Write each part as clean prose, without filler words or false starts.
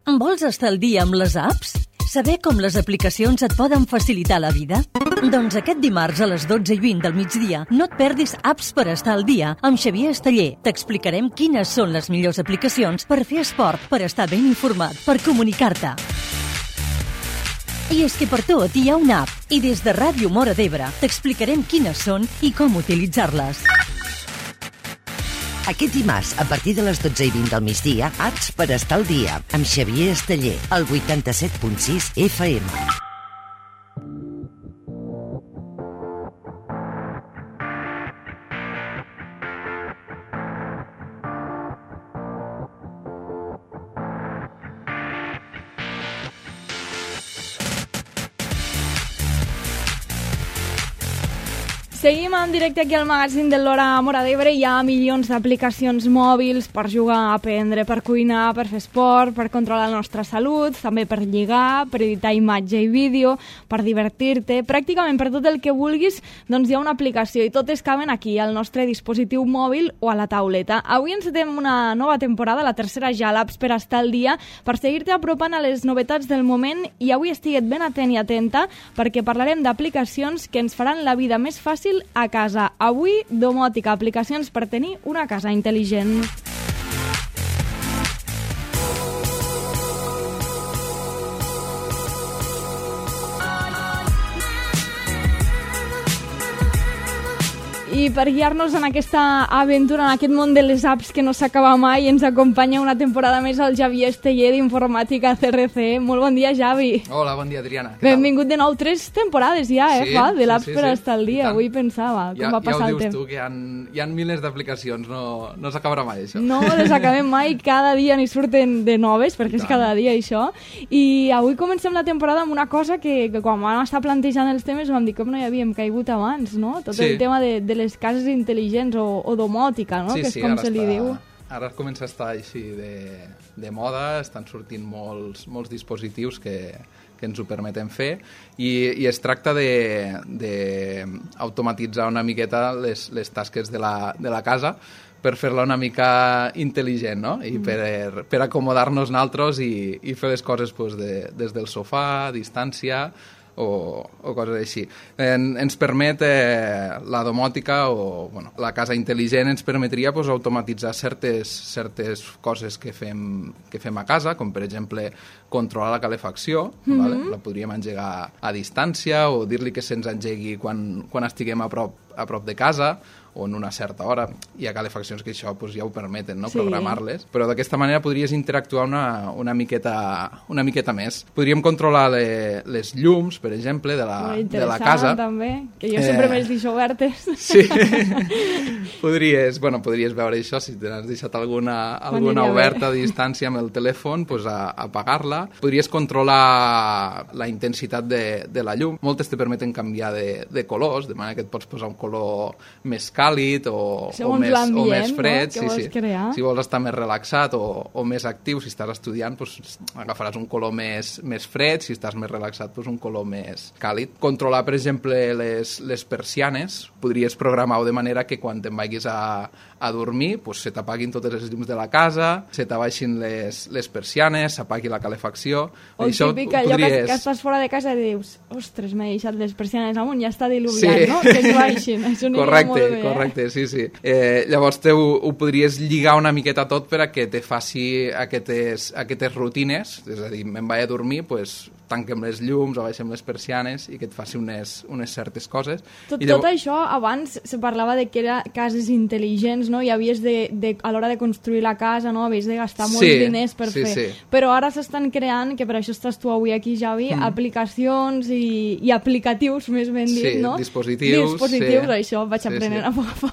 Vols estar al dia amb les apps? Saber com les aplicacions et poden facilitar la vida? Doncs aquest dimarts a les 12:20 del migdia no et perdis Apps per estar al dia amb Xavier Esteller. T'explicarem quines són les millors aplicacions per fer esport, per estar ben informat, per comunicar-te. I és que per tot hi ha una app i des de Ràdio Móra d'Ebre t'explicarem quines són i com utilitzar-les. Aquest dimarts, a partir de les 12:20 del migdia, Apps per estar al dia, amb Xavier Esteller, al 87.6 FM. Seguim en directe aquí al magazín de l'Hora Móra d'Ebre. Hi ha milions d'aplicacions mòbils per jugar, aprendre, per cuinar, per fer esport, per controlar la nostra salut, també per lligar, per editar imatge i vídeo, per divertir-te. Pràcticament per tot el que vulguis, doncs hi ha una aplicació i totes caben aquí, al nostre dispositiu mòbil o a la tauleta. Avui encetem una nova temporada, la tercera ja, l'Apps per estar al dia, per seguir-te apropant a les novetats del moment, i avui estiguet ben atent i atenta perquè parlarem d'aplicacions que ens faran la vida més fàcil a casa. Avui, domòtica, aplicacions per tenir una casa intel·ligent. I per guiar-nos en aquesta aventura, en aquest món de les apps que no s'acaba mai, ens acompanya una temporada més el Xavier Esteller d'Informàtica CRC. Molt bon dia, Xavi. Hola, bon dia, Adriana. Benvingut de nou. 3 temporades ja, sí, fa, de l'apps sí, per estar al dia. Avui pensava com va passar el temps. Ja ho dius tu, que hi ha milers d'aplicacions, no s'acabarà mai, això. No les acabem mai, cada dia n'hi surten de noves, perquè és cada dia això. I avui comencem la temporada amb una cosa que quan vam estar plantejant els temes vam dir com no hi havíem caigut abans, no? Tot el tema de les cases intel·ligents o domòtica, no? Que és com se li diu. Ara comença a estar així de moda, estan sortint molts dispositius que ens ho permeten fer i es tracta d'automatitzar una miqueta les tasques de la casa per fer-la una mica intel·ligent, no? I per acomodar-nos nosaltres i fer les coses des del sofà, a distància, o coses així. Ens permet la domòtica o la casa intel·ligent ens permetria automatitzar certes coses que fem a casa, com per exemple controlar la calefacció, la podríem engegar a distància o dir-li que se'ns engegui quan estiguem a prop de casa o en una certa hora. Hi ha calefaccions que això ja ho permeten, no? Programar-les, però d'aquesta manera podries interactuar una miqueta més. Podríem controlar les llums, per exemple, de la casa. També, que jo sempre m'he deixat obertes. Sí, podries veure això, si t'has deixat alguna oberta a distància amb el telèfon, apagar-la. Podries controlar la intensitat de la llum. Moltes te permeten canviar de colors, de manera que et pots posar un color més càlid o més fred, no? Si vols estar més relaxat o més actiu, si estàs estudiant agafaràs un color més fred, si estàs més relaxat un color més càlid. Controlar, per exemple, les persianes, podries programar-ho de manera que quan te'n vagis a dormir se t'apaguin totes les llums de la casa, se t'abaixin les persianes, s'apagui la calefacció. O típic, allò que estàs fora de casa i dius, ostres, m'he deixat les persianes amunt, ja està diluviat, no? Que es baixin, això aniria molt bé. Correcte, sí. Llavors ho podries lligar una miqueta tot per a que te faci aquestes rutines, és a dir, me'n vaig a dormir, tanquem les llums o baixem les persianes i que et faci unes certes coses. Tot això, abans se parlava de que eren cases intel·ligents, no? I havies a l'hora de construir la casa, no? Havies de gastar molts diners per fer. Sí. Però ara s'estan creant, que per això estàs tu avui aquí, Javi, aplicacions i aplicatius, més ben dit, no? Dispositius, això vaig aprenent a poc a poc.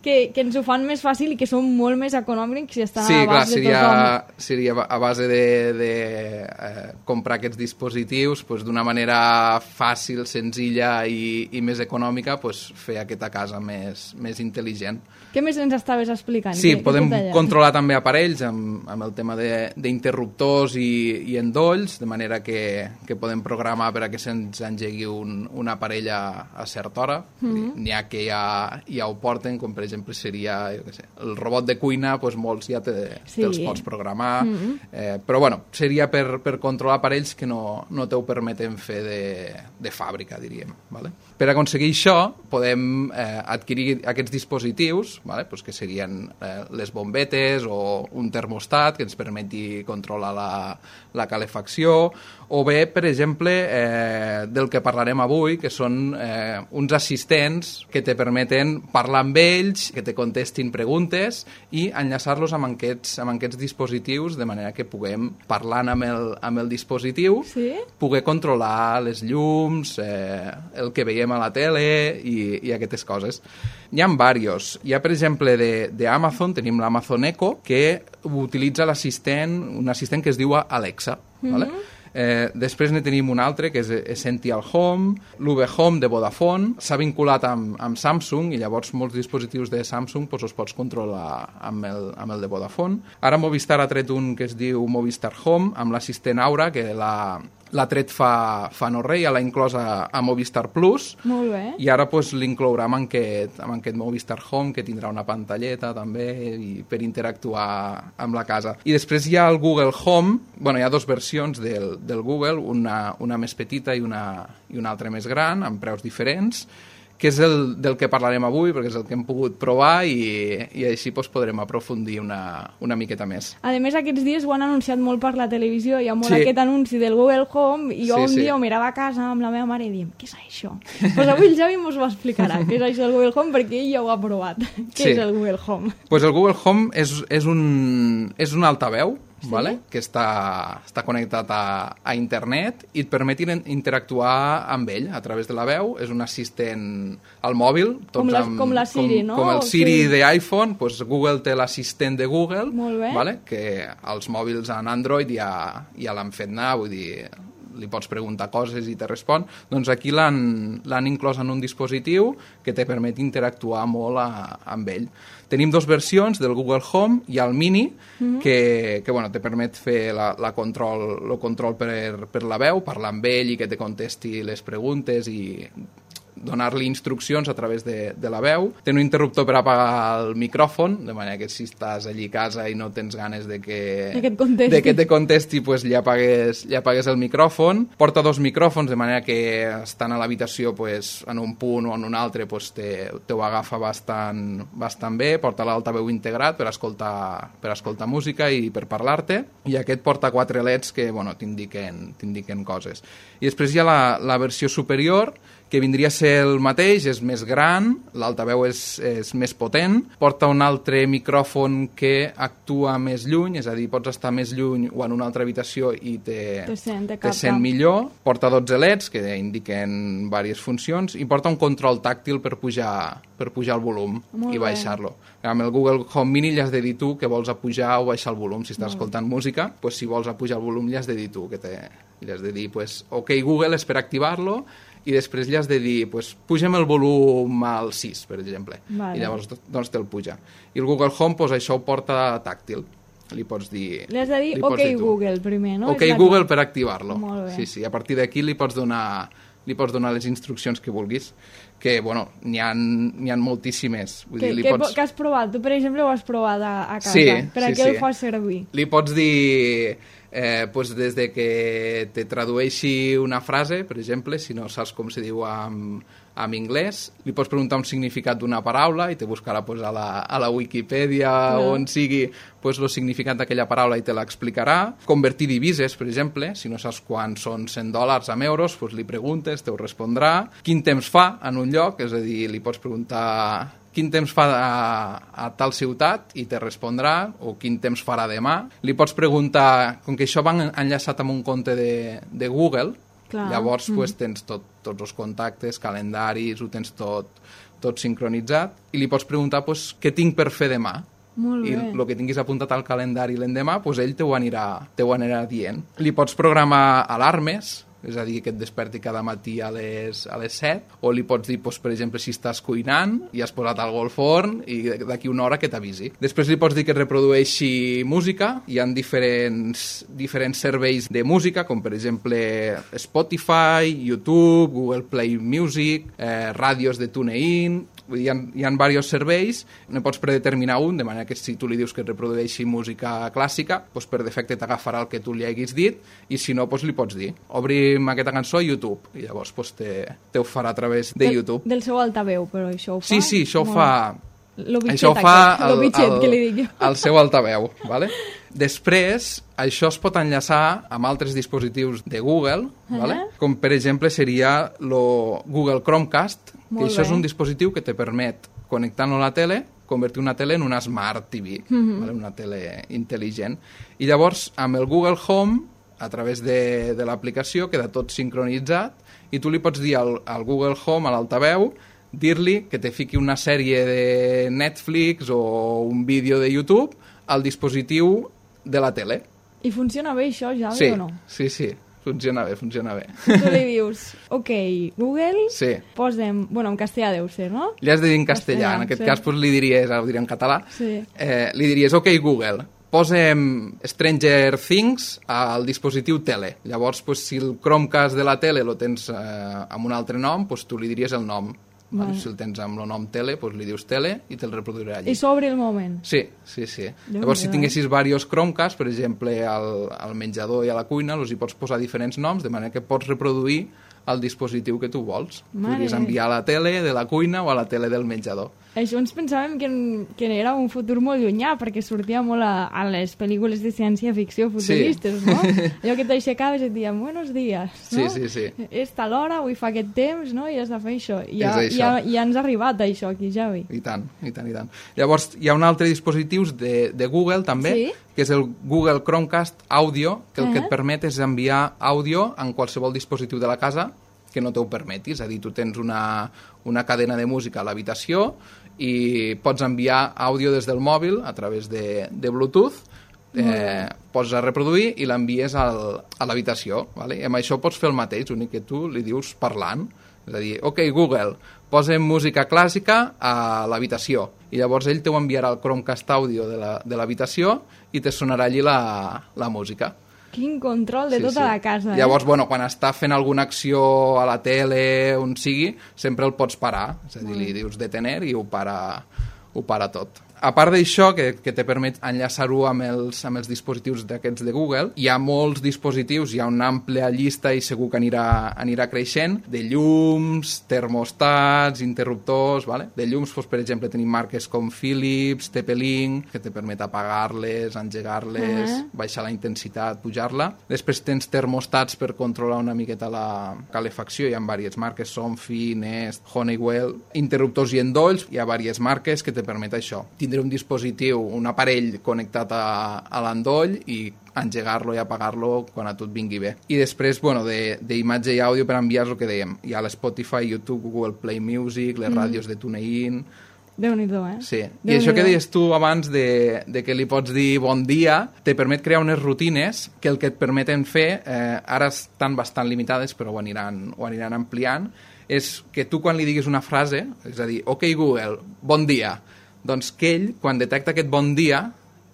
Que ens ho fan més fàcil i que són molt més econòmics i estan a l'abast de tothom. Seria a base de comprar aquests dispositius d'una manera fàcil, senzilla i més econòmica, fer aquesta casa més intel·ligent. Que Què més ens estaves explicant? Sí, podem controlar també aparells amb el tema d'interruptors i endolls, de manera que podem programar per a que se'ns engegui un aparell a certa hora. N'hi ha que ja ho porten, com per exemple seria, jo què sé, el robot de cuina, doncs molts ja te'ls pots programar, però bueno, seria per controlar aparells que no t'ho permeten fer de fàbrica, diríem. Vale? Per aconseguir això, podem adquirir aquests dispositius, vale? Pues que serien les bombetes o un termostat que ens permeti controlar la calefacció, o bé, per exemple, del que parlarem avui, que són uns assistents que te permeten parlar amb ells, que te contestin preguntes i enllaçar-los amb aquests dispositius, de manera que puguem, parlant amb el dispositiu, poder controlar les llums, el que veiem a la tele i aquestes coses. Hi ha diversos. Hi ha, per exemple, d'Amazon, tenim l'Amazon Echo, que utilitza un assistent que es diu Alexa. Vale? Després ne tenim un altre, que és Essential Home, l'UV Home de Vodafone. S'ha vinculat amb Samsung i llavors molts dispositius de Samsung els pots controlar amb el de Vodafone. Ara Movistar ha tret un que es diu Movistar Home, amb l'assistent Aura, que l'ha tret fa no res, ja l'ha inclòs a Movistar Plus. Molt bé. I ara l'inclourà amb aquest Movistar Home, que tindrà una pantalleta també per interactuar amb la casa. I després hi ha el Google Home. Bueno, hi ha dues versions del Google, una més petita i una altra més gran, amb preus diferents, que és del que parlarem avui, perquè és el que hem pogut provar i així podrem aprofundir una miqueta més. A més, aquests dies ho han anunciat molt per la televisió, hi ha molt aquest anunci del Google Home, i jo un dia ho mirava a casa amb la meva mare i diem, què és això? Doncs avui el Javi ens ho explicarà, què és això del Google Home, perquè ell ja ho ha provat. Què és el Google Home? Doncs el Google Home és un altaveu, vale? Que està connectat a internet i et permet interactuar amb ell a través de la veu. És un assistent al mòbil. Com la Siri, no? Com el Siri d'iPhone, doncs Google té l'assistent de Google, vale? Que els mòbils en Android ja l'han fet anar, vull dir, li pots preguntar coses i te respon. Doncs aquí l'han inclòs en un dispositiu que te permet interactuar molt amb ell. Tenim dues versions del Google Home. Hi ha el Mini, que bueno, te permet fer el control per la veu, parlar amb ell i que te contesti les preguntes i donar-li instruccions a través de la veu. Té un interruptor per apagar el micròfon, de manera que si estàs allí a casa i no tens ganes de que te contesti, pues li apagues el micròfon. Porta dos micròfons, de manera que estan a l'habitació pues, en un punt o en un altre pues, te ho agafa bastant bé. Porta l'altaveu integrat per escoltar música i per parlar-te. I aquest porta 4 LEDs que bueno, t'indiquen coses. I després hi ha la versió superior, que vindria a ser el mateix, és més gran, l'altaveu és més potent, porta un altre micròfon que actua més lluny, és a dir, pots estar més lluny o en una altra habitació i te sent millor, porta 12 LEDs que indiquen diverses funcions i porta un control tàctil per pujar el volum i baixar-lo. Amb el Google Home Mini li has de dir tu que vols pujar o baixar el volum. Si estàs escoltant música, pues, si vols pujar el volum li has de dir tu, li has de dir, pues, ok Google, és per activar-lo, i després li has de dir, pues, pugem el volum al 6, per exemple, i llavors doncs te'l puja. I el Google Home, pues, això ho porta tàctil. Li pots dir... Li has de dir ok Google primer, no? Ok Google per activar-lo. Sí, a partir d'aquí li pots donar les instruccions que vulguis, que, bueno, n'hi ha moltíssimes. Que has provat? Tu, per exemple, ho has provat a casa. Per a què el fas servir? Li pots dir... pues des de que te tradueixi una frase, per exemple, si no saps com se diu en anglès, li pots preguntar un significat d'una paraula i te buscarà pues, a la Wikipedia o on sigui pues, el significat d'aquella paraula i te l'explicarà. Convertir divises, per exemple, si no saps quan són $100 en euros, pues, li preguntes, te ho respondrà. Quin temps fa en un lloc, és a dir, li pots preguntar quin temps fa a tal ciutat i te respondrà, o quin temps farà demà. Li pots preguntar, com que això va enllaçat amb un compte de Google, llavors pues, tens tots els contactes, calendaris, ho tens tot sincronitzat, i li pots preguntar pues, què tinc per fer demà. I el que tinguis apuntat al calendari l'endemà, pues, ell te ho anirà dient. Li pots programar alarmes, és a dir, que et desperti cada matí a les 7, o li pots dir, per exemple, si estàs cuinant i has posat algo al forn i d'aquí una hora que t'avisi. Després li pots dir que reprodueixi música, hi ha diferents serveis de música, com per exemple Spotify, YouTube, Google Play Music, ràdios de TuneIn. Hi ha diversos serveis, ne pots predeterminar un, de manera que si tu li dius que reprodueixi música clàssica, doncs per defecte t'agafarà el que tu li haguis dit, i si no, doncs li pots dir, obrim aquesta cançó a YouTube, i llavors doncs, te ho farà a través de YouTube. Del seu altaveu, però això ho fa? Sí, això ho fa... Això ho fa el seu altaveu, ¿vale? Després, això es pot enllaçar amb altres dispositius de Google, ¿vale? Com per exemple seria el Google Chromecast, que això és un dispositiu que te permet, connectant-lo a la tele, convertir una tele en una Smart TV, ¿vale? Una tele intel·ligent. I llavors, amb el Google Home, a través de l'aplicació, queda tot sincronitzat, i tu li pots dir al Google Home, a l'altaveu, dir-li que te fiqui una sèrie de Netflix o un vídeo de YouTube al dispositiu de la tele. I funciona bé això, Javi, o no? Sí, funciona bé. Tu li dius, ok, Google, posem... Bueno, en castellà deu ser, no? Li has de dir en castellà, en aquest cas li diries, ho diré en català, li diries, ok, Google, posem Stranger Things al dispositiu tele. Llavors, si el Chromecast de la tele lo tens amb un altre nom, tu li diries el nom. Si el tens amb el nom tele, li dius tele i te'l reproduirà allí. I s'obre el moment. Sí. Llavors, si tinguessis diversos Chromecast, per exemple, al menjador i a la cuina, els hi pots posar diferents noms, de manera que pots reproduir el dispositiu que tu vols. Podries enviar a la tele de la cuina o a la tele del menjador. Això ens pensàvem que era un futur molt llunyà, perquè sortia molt a les pel·lícules de ciència-ficció futuristes, no? Allò que t'aixecaves i et diem, buenos días, no? Sí. És tal hora, avui fa aquest temps, no? I has de fer això. I ja ens ha arribat això aquí, Javi. I tant. Llavors, hi ha un altre dispositiu de Google, també, que és el Google Chromecast Audio, que el que et permet és enviar àudio en qualsevol dispositiu de la casa que no t'ho permeti. És a dir, tu tens una cadena de música a l'habitació i pots enviar àudio des del mòbil a través de Bluetooth, pots reproduir i l'envies a l'habitació. ¿Vale? I amb això pots fer el mateix, l'únic que tu li dius parlant. És a dir, ok, Google, posem música clàssica a l'habitació. I llavors ell t'ho enviarà al Chromecast Audio de l'habitació i te sonarà allí la música. Quin control de tota la casa. Llavors, quan està fent alguna acció a la tele, on sigui, sempre el pots parar. És a dir, li dius detener i ho para tot. A part d'això, que te permet enllaçar-ho amb els dispositius d'aquests de Google, hi ha molts dispositius, hi ha una àmplia llista i segur que anirà creixent, de llums, termostats, interruptors, ¿vale? De llums, per exemple, tenim marques com Philips, TP-Link, que te permet apagar-les, engegar-les, baixar la intensitat, pujar-la. Després tens termostats per controlar una miqueta la calefacció, hi ha diverses marques, Somfy, Nest, Honeywell, interruptors i endolls, hi ha diverses marques que te permet això. Tindre un dispositiu, un aparell connectat a l'endoll i engegar-lo i apagar-lo quan a tu et vingui bé. I després, d'imatge i àudio per enviar el que dèiem. Hi ha l'Spotify, YouTube, Google Play Music, les ràdios de TuneIn... Déu-n'hi-do, Sí. I això que deies tu abans de que li pots dir bon dia, te permet crear unes rutines que el que et permeten fer, ara estan bastant limitades, però ho aniran ampliant, és que tu quan li diguis una frase, és a dir, ok Google, bon dia, doncs que ell, quan detecta aquest bon dia,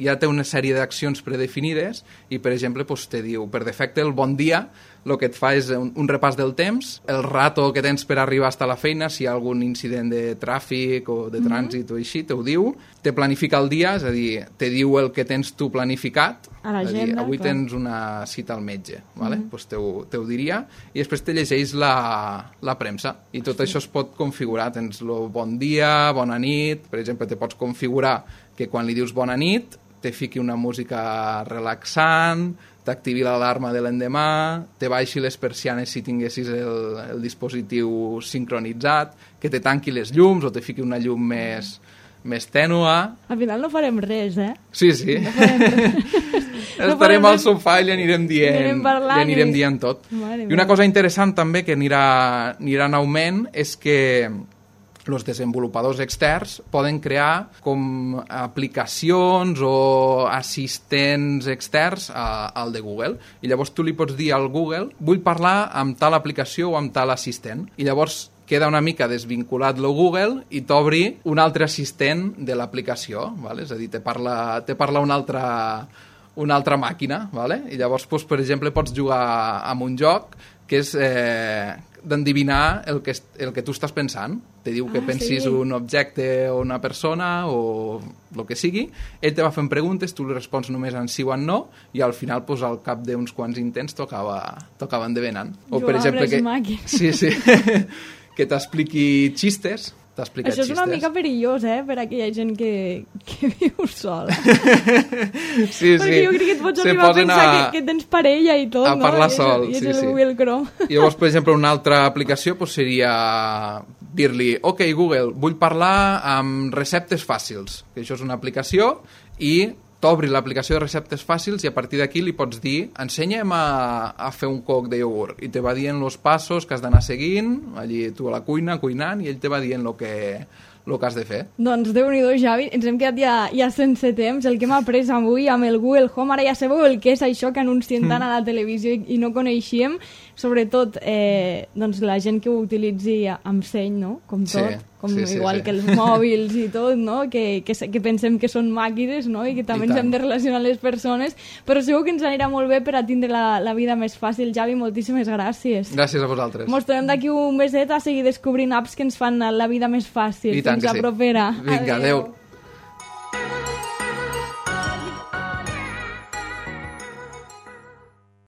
ja té una sèrie d'accions predefinides i, per exemple, te diu, per defecte, el bon dia, el que et fa és un repàs del temps, el rato que tens per arribar fins a la feina, si hi ha algun incident de tràfic o de trànsit o així, t'ho diu, te planifica el dia, és a dir, te diu el que tens tu planificat, a l'agenda, avui tens una cita al metge, ¿vale? Pues t'ho diria, i després te llegeix la premsa, i tot això es pot configurar, tens el bon dia, bona nit, per exemple, te pots configurar que quan li dius bona nit, te fiqui una música relaxant, t'activi l'alarma de l'endemà, te baixi les persianes si tinguessis el dispositiu sincronitzat, que te tanqui les llums o te fiqui una llum més tènua. Al final no farem res, Sí. No farem res. Estarem al sofà i li anirem dient tot. I una cosa interessant també que anirà en augment és que els desenvolupadors externs poden crear com aplicacions o assistents externs al de Google. I llavors tu li pots dir al Google vull parlar amb tal aplicació o amb tal assistent. I llavors queda una mica desvinculat lo Google i t'obri un altre assistent de l'aplicació, ¿vale? És a dir, te parla una altra màquina, ¿vale? I llavors, doncs, per exemple, pots jugar amb un joc que és d'endevinar el que tu estàs pensant. Te diu que pensis un objecte o una persona o el que sigui, ell te va fent preguntes, tu li respons només en sí o en no, i al final, doncs, al cap d'uns quants intents tocava endevinant. O, per exemple, sí, que t'expliqui xistes. Això és una mica perillós, per aquella gent que viu sola. Sí. Perquè jo crec que et pots arribar a pensar que tens parella i tot, no? A parlar sol, sí. I és el Google Chrome. I llavors, per exemple, una altra aplicació seria dir-li, ok, Google, vull parlar amb receptes fàcils, que això és una aplicació, i t'obri l'aplicació de receptes fàcils i a partir d'aquí li pots dir ensenya'm a fer un coc de iogurt i te va dient els passos que has d'anar seguint, allí tu a la cuina cuinant i ell te va dient el que has de fer. Doncs Déu-n'hi-do, Xavi, ens hem quedat ja sense temps. El que hem après avui amb el Google Home, ara ja sabeu el que és això que anuncien tant a la televisió i no coneixíem, sobretot doncs la gent que ho utilitzi amb seny, no? Com tot, igual que els mòbils i tot, no? Que pensem que són màquines, no? I que també ens hem de relacionar les persones, però segur que ens anirà molt bé per a tindre la vida més fàcil. Javi, moltíssimes gràcies. Gràcies a vosaltres. Mos tornem d'aquí un meset a seguir descobrint apps que ens fan la vida més fàcil. I tant. Fins la propera. Vinga, adeu.